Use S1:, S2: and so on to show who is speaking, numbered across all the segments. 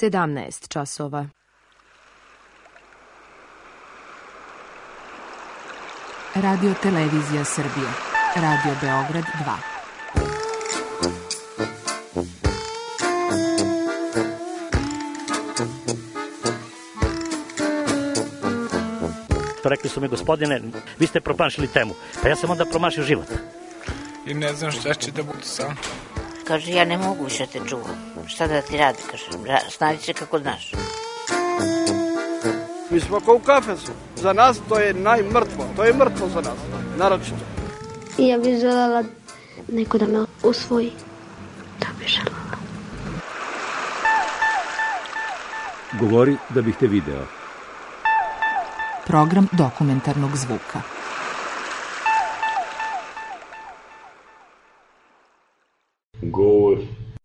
S1: 17 časova.
S2: Radio Televizija Srbije. Radio Beograd 2.
S3: Rekli su mi, gospodine, vi ste promašili temu. Pa ja sam onda promašio život.
S4: I ne znam šta će da bude sam.
S5: Kaže, ja ne mogu više te čuvam. Šta da ti radi, kaže, snađi se kako znaš.
S6: Mi smo kao u kafesu. Za nas to je najmrtvo. To je mrtvo za nas, naročito.
S7: I ja bih želela neko da me usvoji. To bih želela.
S8: Govori da bih te video.
S2: Program dokumentarnog zvuka.
S9: Govor.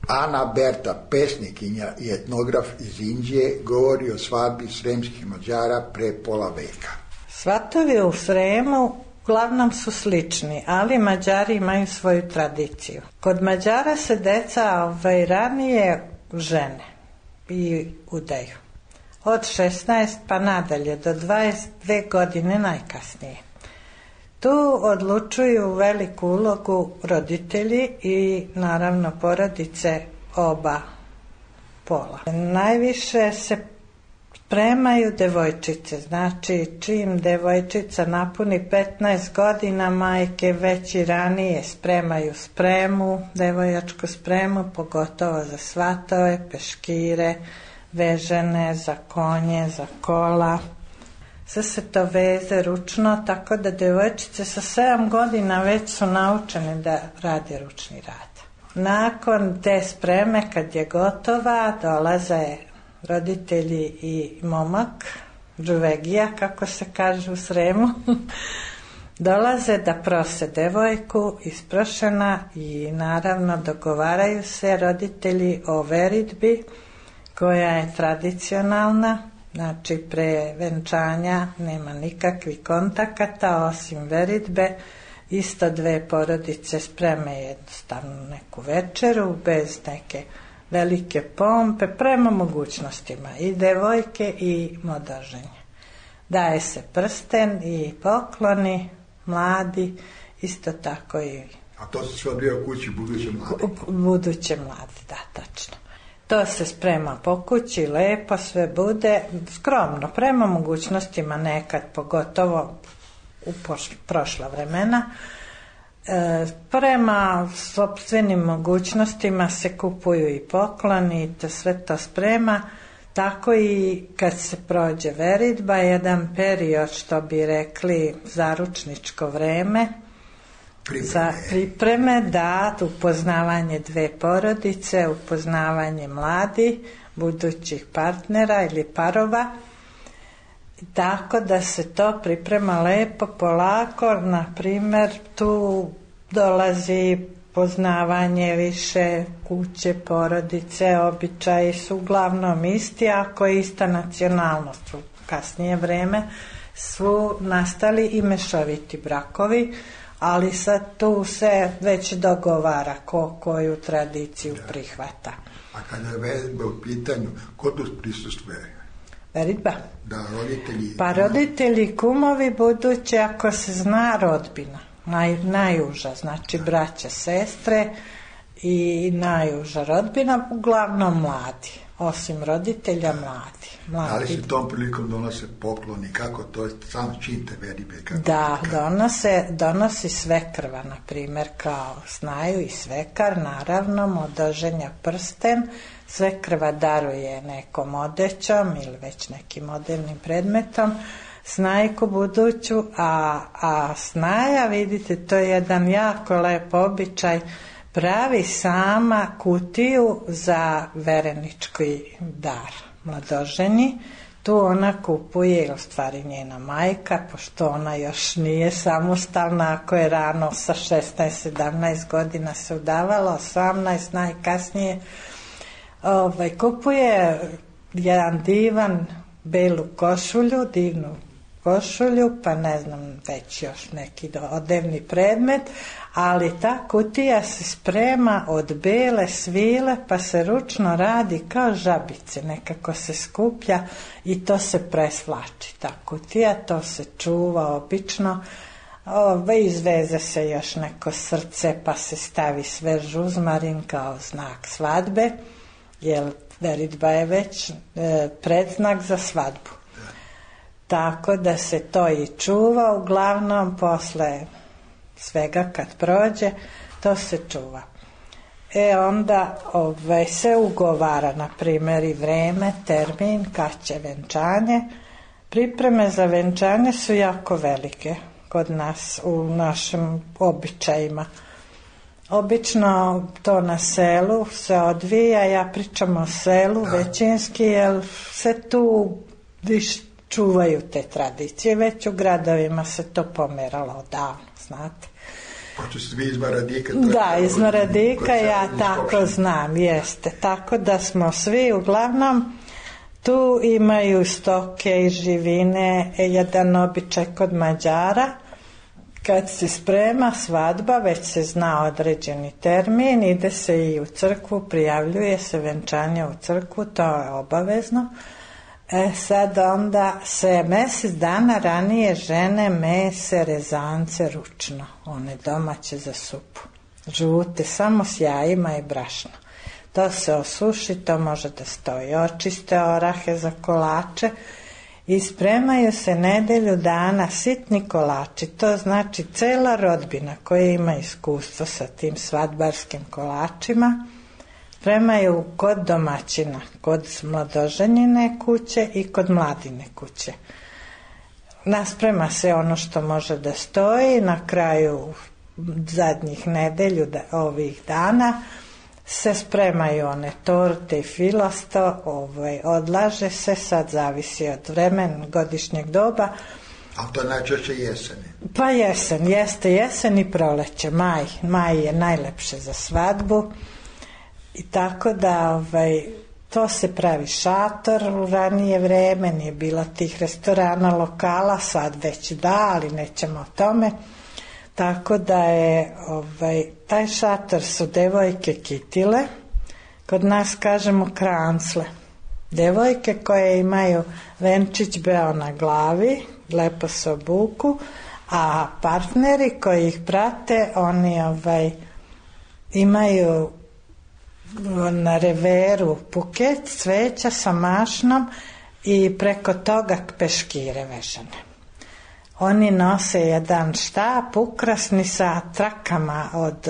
S10: Ana Berta, pesnikinja i etnograf iz Indije, govori o svadbi sremskih Mađara pre pola veka.
S11: Svatovi u Sremu uglavnom su slični, ali Mađari imaju svoju tradiciju. Kod Mađara se deca ranije žene i udaju. Od 16 pa nadalje do 22 godine najkasnije. Tu odlučuju veliku ulogu roditelji i naravno porodice oba pola. Najviše se spremaju devojčice, znači čim devojčica napuni 15 godina, majke već i ranije spremaju spremu, devojačku spremu, pogotovo za svatove, peškire, vežene, za konje, za kola. Sve se to veze ručno, tako da devojčice sa 7 godina već su naučene da rade ručni rad. Nakon te spreme, kad je gotova, dolaze roditelji i momak, džuvegija, kako se kaže u Sremu, dolaze da prose devojku isprošena i naravno dogovaraju se roditelji o veritbi, koja je tradicionalna. Znači, pre venčanja nema nikakvih kontakata osim veritbe. Isto dve porodice spreme jednostavno neku večeru bez neke velike pompe prema mogućnostima i devojke i modoženje. Daje se prsten i pokloni mladi, isto tako i...
S10: A to se sve odvija u kući buduće mladi?
S11: Buduće mladi, da, tačno. To se sprema po kući, lepo sve bude, skromno, prema mogućnostima nekad, pogotovo u prošla vremena. Prema sopstvenim mogućnostima se kupuju i pokloni i sve to sprema, tako i kad se prođe veritba, jedan period, što bi rekli, zaručničko vreme, za pripreme, da, upoznavanje dve porodice, upoznavanje mladi, budućih partnera ili parova, tako da se to priprema lepo, polako. Na primjer, tu dolazi poznavanje više kuće, porodice, običaji su uglavnom isti, ako je ista nacionalnost. U kasnije vreme su nastali i mešoviti brakovi, ali sad tu se već dogovara koju tradiciju prihvata.
S10: A kada je veritba u pitanju, ko tu prisustvuje?
S11: Veritba?
S10: Da, roditelji...
S11: Pa roditelji, kumovi buduće, ako se zna, rodbina. Najuža, znači braća, sestre i najuža rodbina, uglavnom mladi. Osim roditelja, mladi.
S10: Ali se tom prilikom donose pokloni, kako to je sam čin te veritbe?
S11: Da, donosi svekrva, na primjer, kao znaju i svekar, naravno, modoženja prsten, svekrva daruje nekom odećom ili već nekim modernim predmetom, snajku buduću, a snaja, vidite, to je jedan jako lep običaj, pravi sama kutiju za verenički dar mladoženji. Tu ona kupuje, u stvari njena majka, pošto ona još nije samostalna, ako je rano sa 16-17 godina se udavala, 18 najkasnije, kupuje jedan divan belu košulju, divnu košulju, pa ne znam, već još neki odevni predmet, ali ta kutija se sprema od bele svile, pa se ručno radi kao žabice, nekako se skuplja i to se presvlači. Ta kutija, to se čuva obično, izveze se još neko srce, pa se stavi svež uzmarin kao znak svadbe, jer veritba je već predznak za svadbu. Tako da se to i čuva, uglavnom posle svega kad prođe, to se čuva. Onda se ugovara, na primjer, i vreme, termin, kad će venčanje. Pripreme za venčanje su jako velike kod nas, u našim običajima. Obično to na selu se odvija, ja pričam o selu većinski, jer se tu čuvaju te tradicije, već u gradovima se to pomeralo odavno, znate.
S10: Hoće se vi iz Maradika?
S11: Da, iz Maradika ja tako znam, jeste. Tako da smo svi uglavnom, tu imaju stoke i živine, jedan običaj kod Mađara, kad se sprema svadba, već se zna određeni termin, ide se i u crkvu, prijavljuje se venčanje u crkvu, to je obavezno. Sad onda se mjesec dana ranije žene mese rezance ručno, one domaće za supu, žute, samo s jajima i brašno. To se osuši, to može da stoji, očiste orahe za kolače i spremaju se nedelju dana sitni kolači, to znači cela rodbina koja ima iskustvo sa tim svadbarskim kolačima, spremaju kod domaćina, kod mladoženjine kuće i kod mladine kuće. Nasprema se ono što može da stoji, na kraju zadnjih nedelju ovih dana se spremaju one torte i filosto, odlaže se, sad zavisi od vremena, godišnjeg doba.
S10: Ali to je najčešće jesen.
S11: Pa jeste jesen i proleće, maj je najlepše za svadbu. I tako da to se pravi šator u ranije vreme, nije bilo tih restorana, lokala, sad već da, ali nećemo o tome. Tako da je taj šator su devojke kitile, kod nas kažemo krancle. Devojke koje imaju venčić beo na glavi, lepo se obuku, a partneri koji ih prate, oni imaju na reveru buket cveća sa mašnom i preko toga peškire vežane. Oni nose jedan štap ukrasni sa trakama od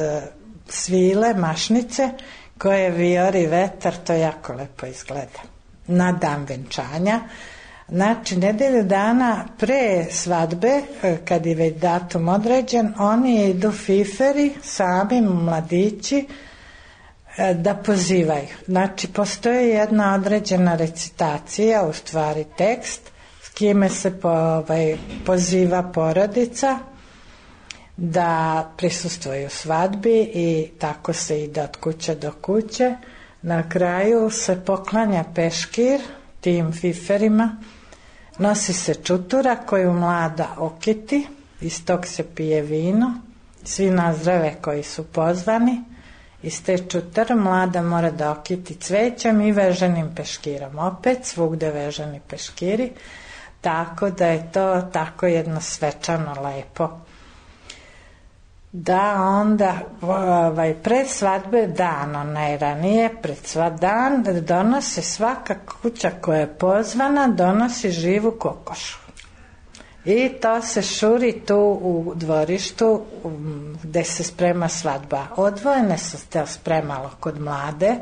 S11: svile, mašnice, koje vijori vetar, to jako lepo izgleda. Na dan venčanja, znači nedelju dana pre svadbe, kad je već datum određen, oni idu fiferi, sami mladići, da pozivaju. Znači, postoji jedna određena recitacija, u stvari tekst, s kime se poziva porodica da prisustvuju svadbi i tako se ide od kuće do kuće. Na kraju se poklanja peškir tim fiferima, nosi se čutura koju mlada okiti, iz tog se pije vino, svi nazdrave koji su pozvani. Iz te čutar mlada mora da okiti cvećem i veženim peškirom. Opet svugde veženi peškiri, tako da je to tako jedno svečano lepo. Da onda pred svadbe dan, najranije pred dan, donose svaka kuća koja je pozvana, donosi živu kokošu. I to se šuri tu u dvorištu gde se sprema svadba. Odvojene se to spremalo kod mlade,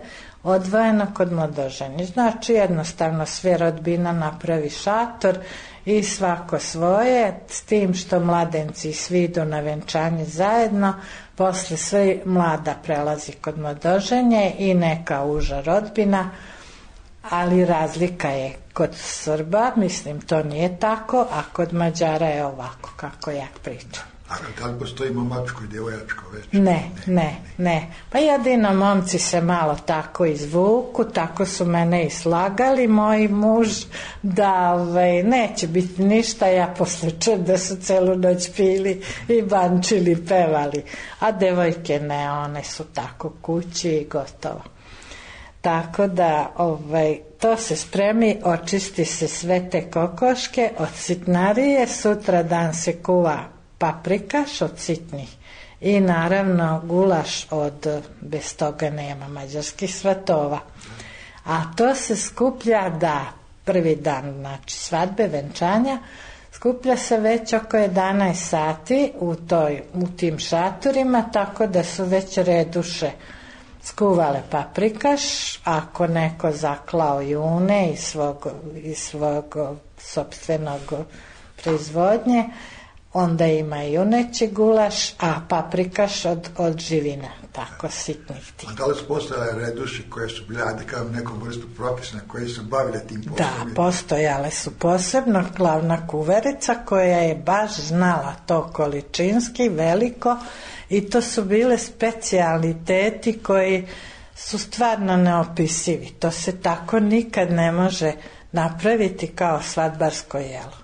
S11: odvojeno kod mladoženje. Znači jednostavno sve rodbina napravi šator i svako svoje, s tim što mladenci svi idu na venčanje zajedno, posle sve mlada prelazi kod mladoženje i neka uža rodbina, ali razlika je kod Srba, mislim to nije tako, a kod Mađara je ovako kako ja pričam.
S10: A da li postoji momačko i djevojačko večer?
S11: Ne. Pa jedino momci se malo tako izvuku, tako su mene i slagali moji muž, da neće biti ništa, ja posle čujem da su celu noć pili i bančili, pevali. A devojke ne, one su tako kući i gotovo. Tako da to se spremi, očisti se sve te kokoške od sitnarije, sutra dan se kuva paprikaš od sitnih i naravno gulaš bez toga nema mađarskih svatova. A to se skuplja prvi dan, znači svadbe, venčanja, skuplja se već oko 11 sati u tim šatorima, tako da su već reduše skuvale paprikaš, ako neko zaklao june iz svog sopstvenog proizvodnje, onda ima i juneći gulaš, a paprikaš od živina, tako sitnih tih.
S10: A da li su postojale reduši koje su bile nekom vrstu profesna, koje su bavile tim poslovima?
S11: Da, postojale su posebno glavna kuverica koja je baš znala to količinski, veliko, i to su bile specijaliteti koji su stvarno neopisivi. To se tako nikad ne može napraviti kao svadbarsko jelo.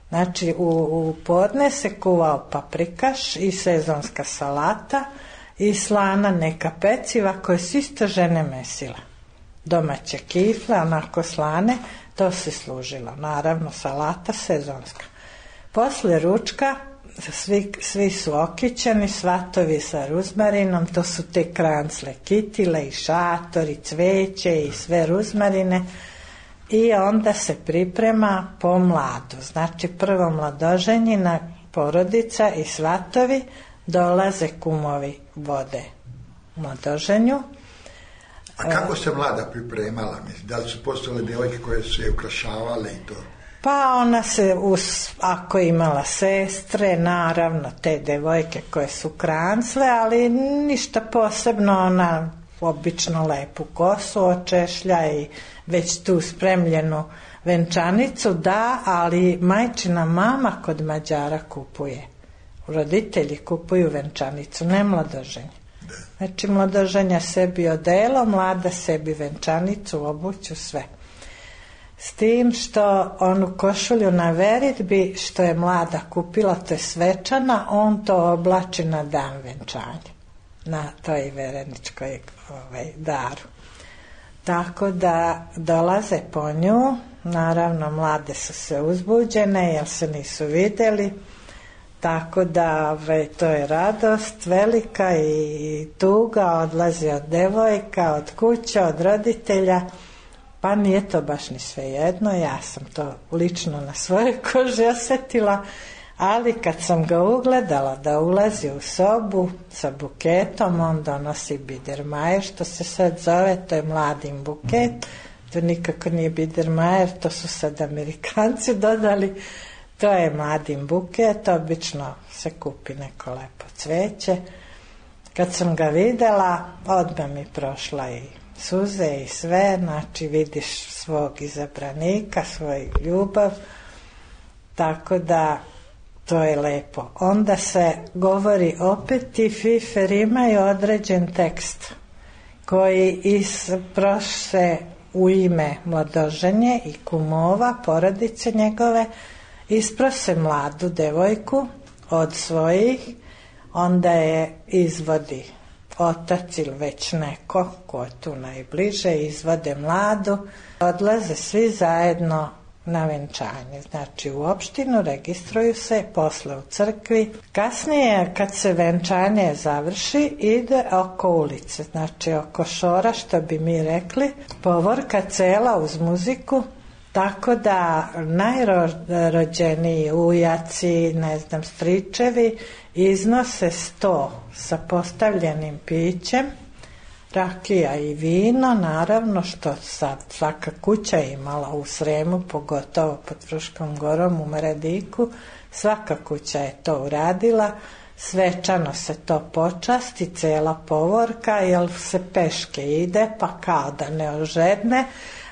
S11: Znači u podne se kuvao paprikaš i sezonska salata i slana neka peciva koje su isto žene mesile. Domaće kifle, onako slane, to se služilo. Naravno salata sezonska. Posle ručka svi su okićeni, svatovi sa ruzmarinom, to su te krancle, kitile i šatori, cveće i sve ruzmarine. I onda se priprema po mladu. Znači prvo mladoženjina, porodica i svatovi, dolaze kumovi vode mladoženju.
S10: A kako se mlada pripremala? Da li su postojale djevojke koje su je ukrašavale i to?
S11: Pa ona se, ako imala sestre, naravno te devojke koje su krancle, ali ništa posebno, ona obično lepu kosu očešlja i već tu spremljenu venčanicu, ali majčina mama kod Mađara kupuje. Roditelji kupuju venčanicu, ne mladoženje. Znači mladoženja sebi odelo, mlada sebi venčanicu, obuću, sve. S tim što onu košulju na veritbi što je mlada kupila, to je svečana, on to oblači na dan venčanja, na toj vereničkoj daru. Tako da dolaze po nju, naravno mlade su se uzbuđene jer se nisu vidjeli, tako da to je radost velika i tuga, odlazi od devojka, od kuće, od roditelja, pa nije to baš ni svejedno, ja sam to lično na svojoj koži osjetila, ali kad sam ga ugledala da ulazi u sobu sa buketom, on donosi bidermajer, što se sad zove, to je mladim buket, to nikako nije bidermajer, to su sad Amerikanci dodali, to je mladim buket, obično se kupi neko lepo cveće. Kad sam ga videla, odmah mi prošla i suze i sve, znači vidiš svog izabranika, svoj ljubav, tako da to je lepo. Onda se govori opet, ti fifer imaju određen tekst koji isprose u ime mladoženje i kumova, porodice njegove, isprose mladu devojku od svojih, onda je izvodi otac ili već neko ko je tu najbliže, izvode mladu, odlaze svi zajedno na venčanje. Znači u opštinu registruju se, posle u crkvi. Kasnije kad se venčanje završi ide oko ulice, znači oko šora, što bi mi rekli, povorka cela uz muziku, tako da najrođeniji ujaci, stričevi iznose sto sa postavljenim pićem, rakija i vino, naravno, što sad svaka kuća je imala u Sremu, pogotovo pod Fruškom gorom u Maradiku, svaka kuća je to uradila, svečano se to počasti, cela povorka, jer se peške ide, pa kao da ne ožedne,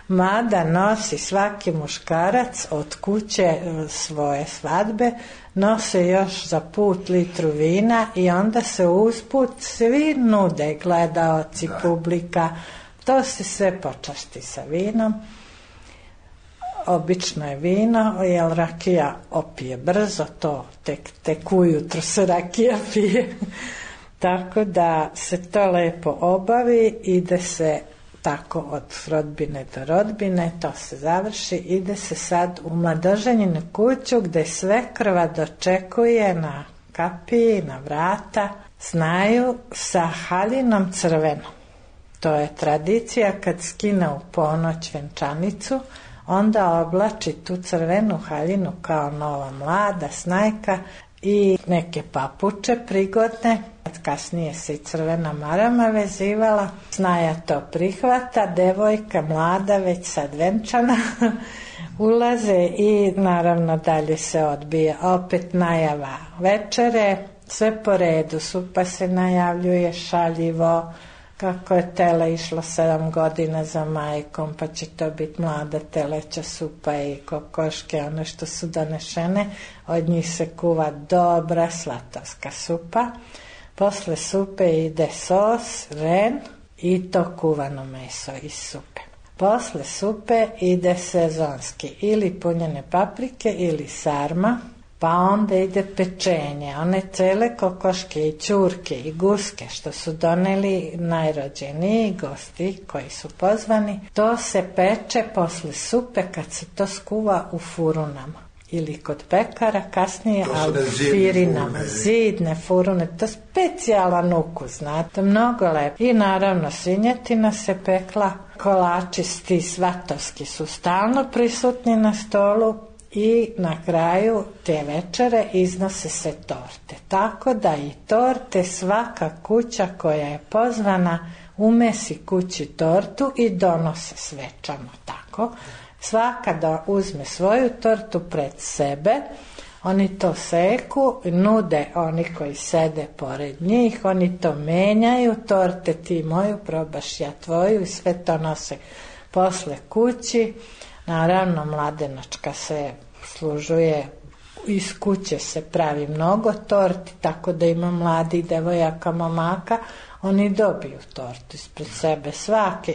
S11: mada nosi svaki muškarac od kuće svoje svadbe, nose još za put litru vina i onda se usput svi nude, gledaoci, publika, to se sve počasti sa vinom. Obično je vino, jer rakija opije brzo, to tek ujutro se rakija pije. Tako da se to lepo obavi, ide se tako od rodbine do rodbine, to se završi, ide se sad u mladoženjinu kuću gde svekrva dočekuje na kapiji, na vrata, znaju sa haljinom crvenom. To je tradicija kad skine u ponoć venčanicu, onda oblači tu crvenu haljinu kao nova mlada snajka i neke papuče prigodne. Kasnije se i crvena marama vezivala. Snaja to prihvata, devojka mlada već sad venčana ulaze i naravno dalje se odbija. Opet najava večere, sve po redu, supa se najavljuje šaljivo, kako je tele išlo 7 godina za majkom, pa će to biti mlada teleća supa i kokoške, one što su donešene, od njih se kuva dobra slatavska supa. Posle supe ide sos, ren i to kuvano meso iz supe. Posle supe ide sezonski ili punjene paprike ili sarma, pa onda ide pečenje, one cele kokoške i ćurke i guske što su doneli najrođeniji gosti koji su pozvani, to se peče posle supe kad se to skuva u furunama ili kod pekara, kasnije alfirinama, zidne furune, to je specijalan ukus, znate, mnogo lepo. I naravno svinjetina se pekla, kolači ti svatovski su stalno prisutni na stolu i na kraju te večere iznose se torte. Tako da i torte, svaka kuća koja je pozvana umesi kući tortu i donose svečano tako. Svaka da uzme svoju tortu pred sebe, oni to seku, nude oni koji sede pored njih, oni to menjaju, torte ti moju, probaš ja tvoju i sve to nose posle kući. Naravno, mladenačka se služuje, iz kuće se pravi mnogo torti, tako da ima mladi devojaka, momaka, oni dobiju tortu ispred sebe,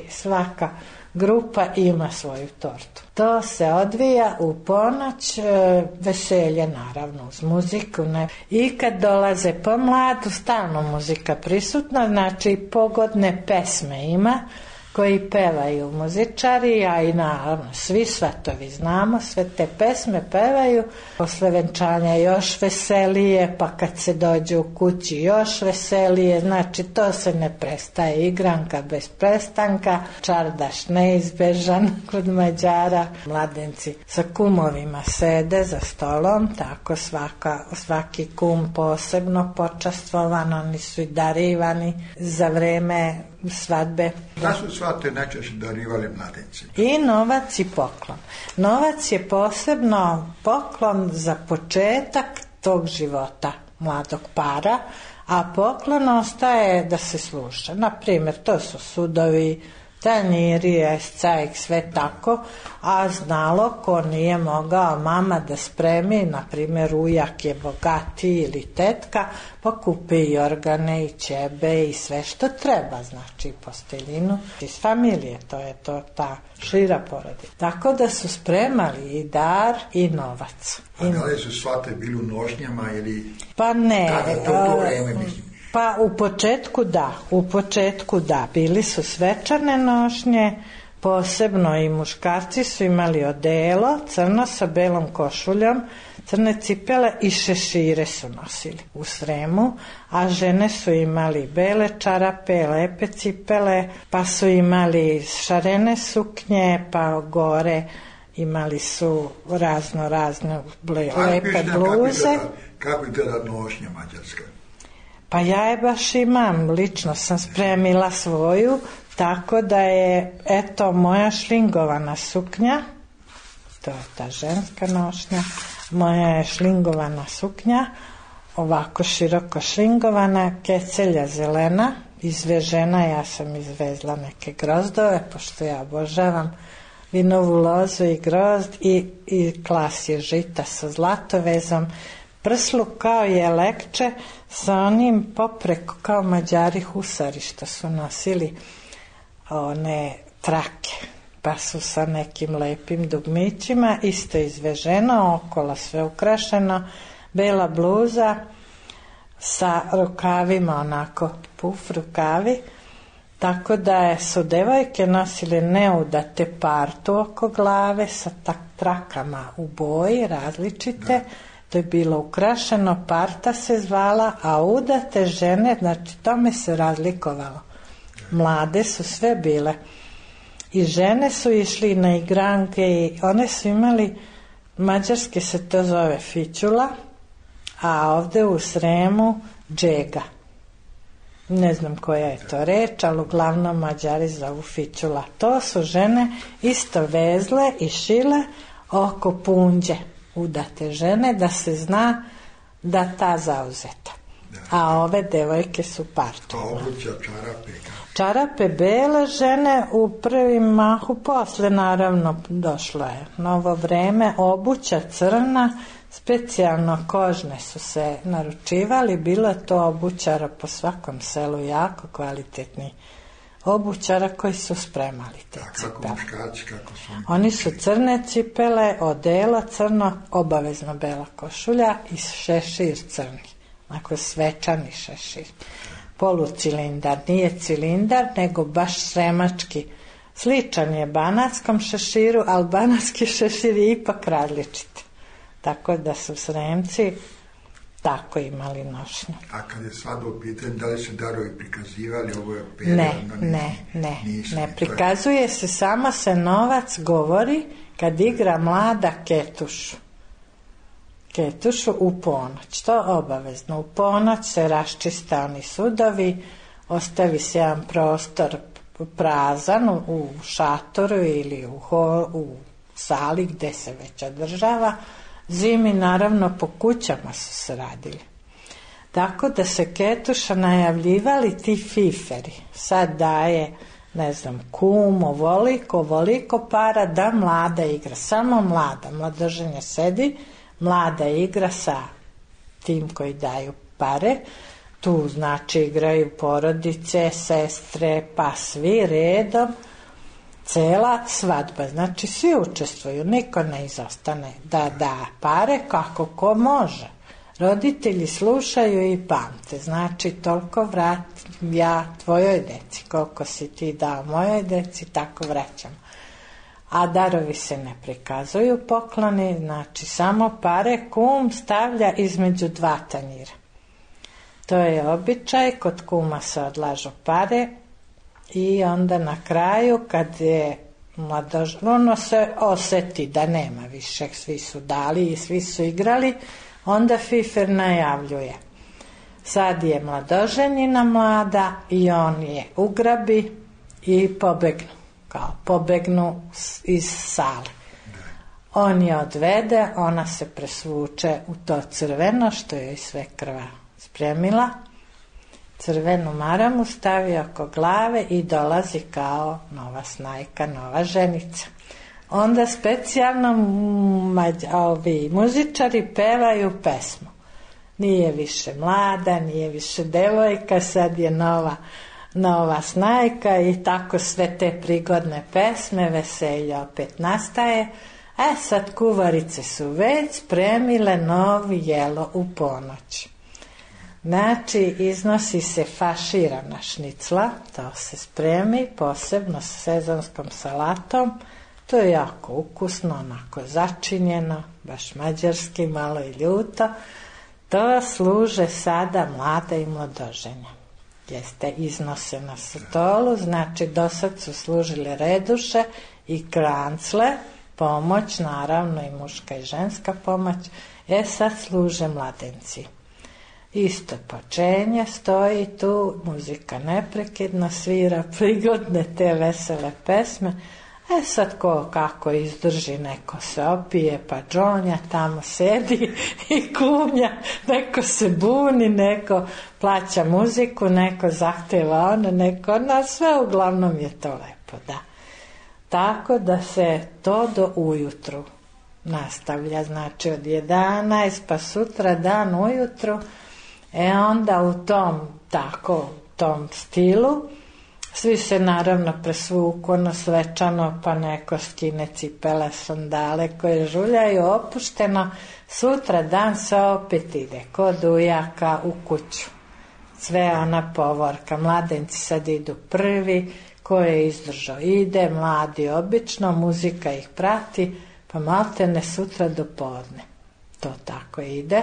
S11: svaka grupa ima svoju tortu. To se odvija u ponoć, veselje naravno uz muziku. I kad dolaze po mladu, stalno muzika prisutna, znači pogodne pesme ima koji pevaju muzičari, a i naravno svi svatovi znamo, sve te pesme pevaju. Posle venčanja još veselije, pa kad se dođe u kući još veselije, znači to se ne prestaje, igranka bez prestanka, čardaš neizbežan kod Mađara. Mladenci sa kumovima sede za stolom, tako svaki kum posebno počastvovan, oni su i darivani za vreme svadbe.
S10: Da su svate najčešće darivali mladenci?
S11: I novac i poklon. Novac je posebno poklon za početak tog života mladog para, a poklon ostaje da se sluša. Naprimjer, to su sudovi, tanjiri, escajk, sve tako, a znalo ko nije mogao mama da spremi, na primjer ujak je bogatiji ili tetka, pa kupi i organe i ćebe i sve što treba, znači posteljinu iz familije, to je to ta šira porodica. Tako da su spremali i dar i novac.
S10: A da li su svate bili u nošnjama ili...
S11: Pa ne.
S10: Kada to vreme mislim?
S11: Pa u početku da, bili su svečane nošnje, posebno i muškarci su imali odelo, crno sa belom košuljom, crne cipele i šešire su nosili u Sremu, a žene su imali bele čarape, lepe cipele, pa su imali šarene suknje, pa gore imali su razne lepe bluze.
S10: Kako je tada nošnja mađarska?
S11: Pa ja je baš imam, lično sam spremila svoju, tako da je, eto, moja šlingovana suknja, to je ta ženska nošnja, moja je šlingovana suknja, ovako široko šlingovana, kecelja zelena, izvežena, ja sam izvezla neke grozdove, pošto ja obožavam vinovu lozu i grozd i klasje žita sa zlatovezom, prslu kao jelekče sa onim popreko kao Mađari husari što su nosili one trake, pa su sa nekim lepim dugmićima, isto izveženo, okolo sve ukrašeno, bela bluza sa rukavima, onako puf rukavi, tako da su devojke nosile neudate partu oko glave sa trakama u boji različite, to je bilo ukrašeno, parta se zvala, a udate žene, znači tome se razlikovalo. Mlade su sve bile. I žene su išli na igranke i one su imali, mađarski se to zove fićula, a ovde u Sremu džega. Ne znam koja je to reč, ali uglavnom Mađari zovu fićula. To su žene isto vezle i šile oko punđe, udate žene, da se zna da ta zauzeta. A ove devojke su partu.
S10: A obuća čarape?
S11: Čarape bele žene u prvim mahu, posle naravno došlo je novo vreme, obuća crna, specijalno kožne su se naručivali, bilo to obućara po svakom selu, jako kvalitetni obućara koji su spremali te cipele.
S10: Kako muškarci, kako su?
S11: Oni su crne cipele, odelo crno, obavezno bela košulja i šešir crni, onako svečani šešir. Polucilindar, nije cilindar, nego baš sremački. Sličan je banatskom šeširu, ali banatski šešir je ipak različit. Tako da su Sremci tako imali nošnju.
S10: A kad je svadba u pitanju, da li se darovi prikazivali? Ovo je
S11: ne prikazuje se, samo se novac govori kad igra mlada ketušu u ponoć. To obavezno. U ponoć se raščiste oni sudovi, ostavi se jedan prostor prazan u šatoru ili u sali gde se već održava. Zimi naravno po kućama su se radili. Tako da se ketuša najavljivali ti fiferi. Sad daje, ne znam, kum, ovoliko para da mlada igra. Samo mlada, mladoženja sedi, mlada igra sa tim koji daju pare. Tu znači igraju porodice, sestre, pa svi redom. Cela svadba, znači svi učestvuju, niko ne izostane da da pare kako ko može. Roditelji slušaju i pamte, znači toliko vratim ja tvojoj deci, koliko si ti dao mojoj deci, tako vraćam. A darovi se ne prikazuju, pokloni, znači samo pare, kum stavlja između dva tanjira. To je običaj, kod kuma se odlažu pare i onda na kraju kad je ono se oseti da nema više, svi su dali i svi su igrali, onda fifer najavljuje. Sad je mladoženina mlada i on je ugrabi i pobegnu iz sale. On je odvede, ona se presvuče u to crveno što joj sve krva spremila, crvenu maramu stavi oko glave i dolazi kao nova snajka, nova ženica. Onda specijalno ovi muzičari pevaju pesmu. Nije više mlada, nije više devojka, sad je nova snajka i tako sve te prigodne pesme, veselje opet nastaje. Sad kuvarice su već spremile novi jelo u ponoć. Znači, iznosi se faširana šnicla, to se spremi posebno sa sezonskom salatom, to je jako ukusno, onako začinjeno, baš mađarski, malo i ljuto. To služe sada mlada i mladoženja. Jeste, iznose na stolu, znači do sad su služile reduše i krancle, pomoć, naravno i muška i ženska pomoć, sad služe mladenci. Isto počenje, stoji tu, muzika neprekidno svira, prigodne te vesele pesme. Sad ko kako izdrži, neko se opije, pa džonja tamo sedi i kumlja, neko se buni, neko plaća muziku, neko zahteva ono, neko, sve uglavnom je to lepo, da. Tako da se to do ujutru nastavlja, znači od 11 pa sutra dan ujutru. Onda u tom stilu svi se naravno presvuku ono svečano, pa neko skine cipele, sandale koje žuljaju opušteno. Sutra dan se opet ide kod ujaka u kuću. Sve ona povorka, mladenci sad idu prvi, ko je izdržao ide, mladi obično, muzika ih prati, pa maltene sutra do podne. To tako ide.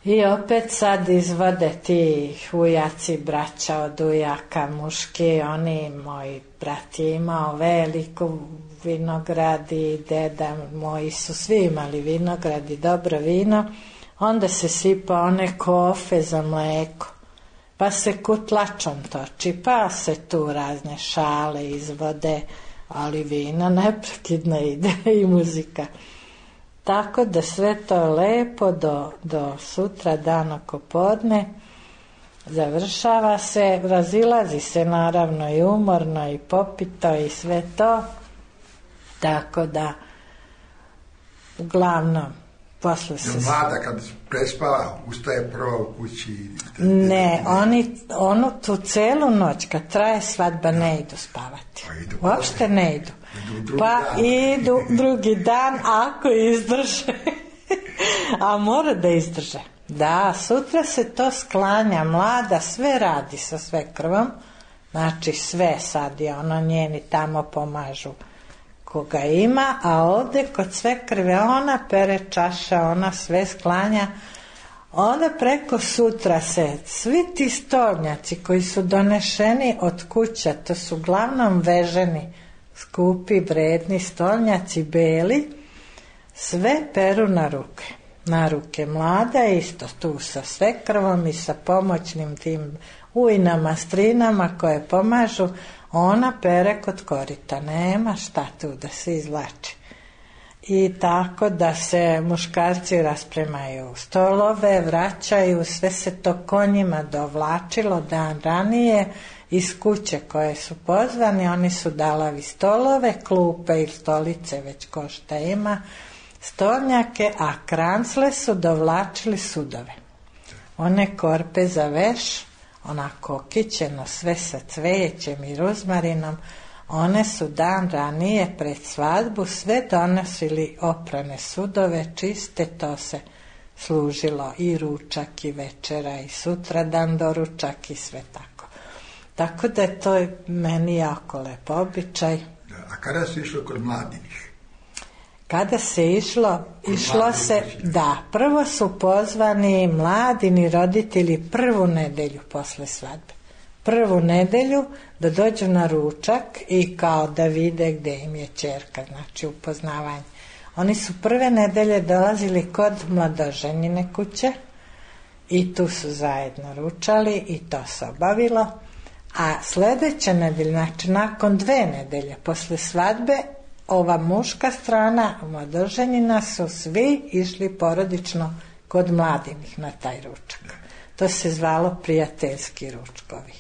S11: I opet sad izvode ti ujaci, braća od ujaka, muški, oni, moj brat je imao veliku vinograd i deda moji su svi imali vinograd i dobro vino, onda se sipa one kofe za mleko, pa se kutlačom toči, pa se tu razne šale izvode, ali vina neprekidno ide i muzika. Tako da sve to lepo do sutra dan oko podne završava se, razilazi se naravno i umorno i popito i sve to, tako da uglavnom posle se...
S10: Mlada kad prespava ustaje prvo u kući?
S11: Ne, onu tu celu noć kad traje svadba ne idu spavati, uopšte ne idu. Pa idu drugi dan ako izdrže. A mora da izdrže. Da, sutra se to sklanja, mlada sve radi sa svekrvom, znači sve sad je ono njeni tamo pomažu koga ima, a ovde kod svekrve ona pere čaša, ona sve sklanja. Onda preko sutra se svi ti stolnjaci koji su donešeni od kuća, to su uglavnom veženi, skupi, vredni stolnjaci, beli, sve peru na ruke. Mlada isto tu sa svekrvom i sa pomoćnim tim ujnama, strinama koje pomažu, ona pere kod korita, nema šta tu da se izvlači. I tako da se muškarci raspremaju stolove, vraćaju, sve se to konjima dovlačilo dan ranije iz kuće koje su pozvani, oni su dalavi stolove, klupe ili stolice, već ko šta ima, stolnjake, a krancle su dovlačili sudove. One korpe za veš, onako kićeno, sve sa cvećem i ruzmarinom, one su dan ranije pred svadbu sve donosili oprane sudove, čiste, to se služilo i ručak i večera i sutra dan doručak i sve tako. Tako da je to meni jako lep običaj.
S10: A kada se išlo kod mladinih?
S11: Kada se išlo se, da, prvo su pozvani mladini roditelji prvu nedelju posle svadbe. Prvu nedelju da dođu na ručak i kao da vide gde im je ćerka, znači upoznavanje. Oni su prve nedelje dolazili kod mladoženjine kuće i tu su zajedno ručali i to se obavilo. A sledeće nedelje, znači nakon 2 nedelje posle svadbe, ova muška strana mladoženjina su svi išli porodično kod mladinih na taj ručak. To se zvalo prijateljski ručkovi.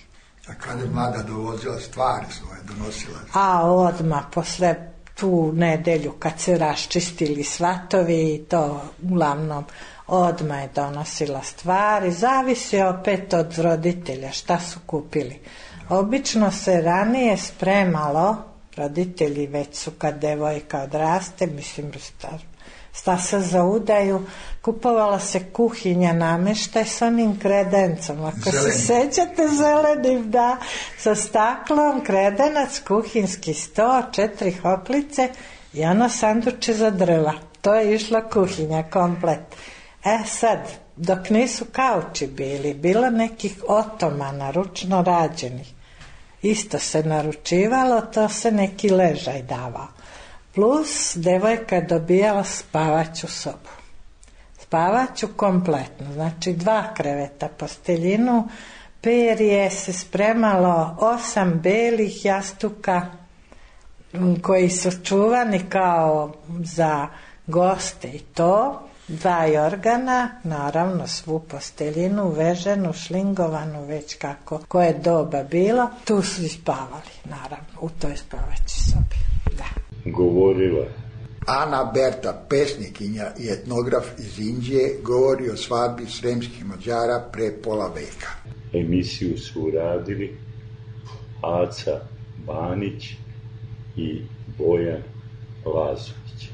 S10: A kada je mlada dovozila stvari svoje, donosila?
S11: A odmah posle tu nedelju kad se raščistili svatovi i to uglavnom odmah je donosila stvari, zavisi opet od roditelja šta su kupili. Obično se ranije spremalo, roditelji već su kad devojka odraste, mislim sta se za udaju, kupovala se kuhinja, nameštaj s onim kredencom, ako se sećate, zelenim, da, sa staklom, kredenac, kuhinski sto, 4 hoklice i ono sanduče za drva. To je išla kuhinja komplet. Sad, dok nisu kauči bili, bilo nekih otomana ručno rađenih, isto se naručivalo, to se neki ležaj davao. Plus, devojka je dobijala spavaću sobu. Spavaću kompletno, znači 2 kreveta, posteljinu, perje, se spremalo 8 belih jastuka koji su čuvani kao za goste i to, 2 jorgana, naravno svu posteljinu, veženu, šlingovanu, već kako, koje doba bilo. Tu su i spavali, naravno, u toj spavaći sobi. Da.
S9: Govorila.
S10: Ana Berta, pesnikinja i etnograf iz Indije, govori o svadbi sremskih Mađara pre pola veka.
S9: Emisiju su uradili Aca Banić i Bojan Lazović.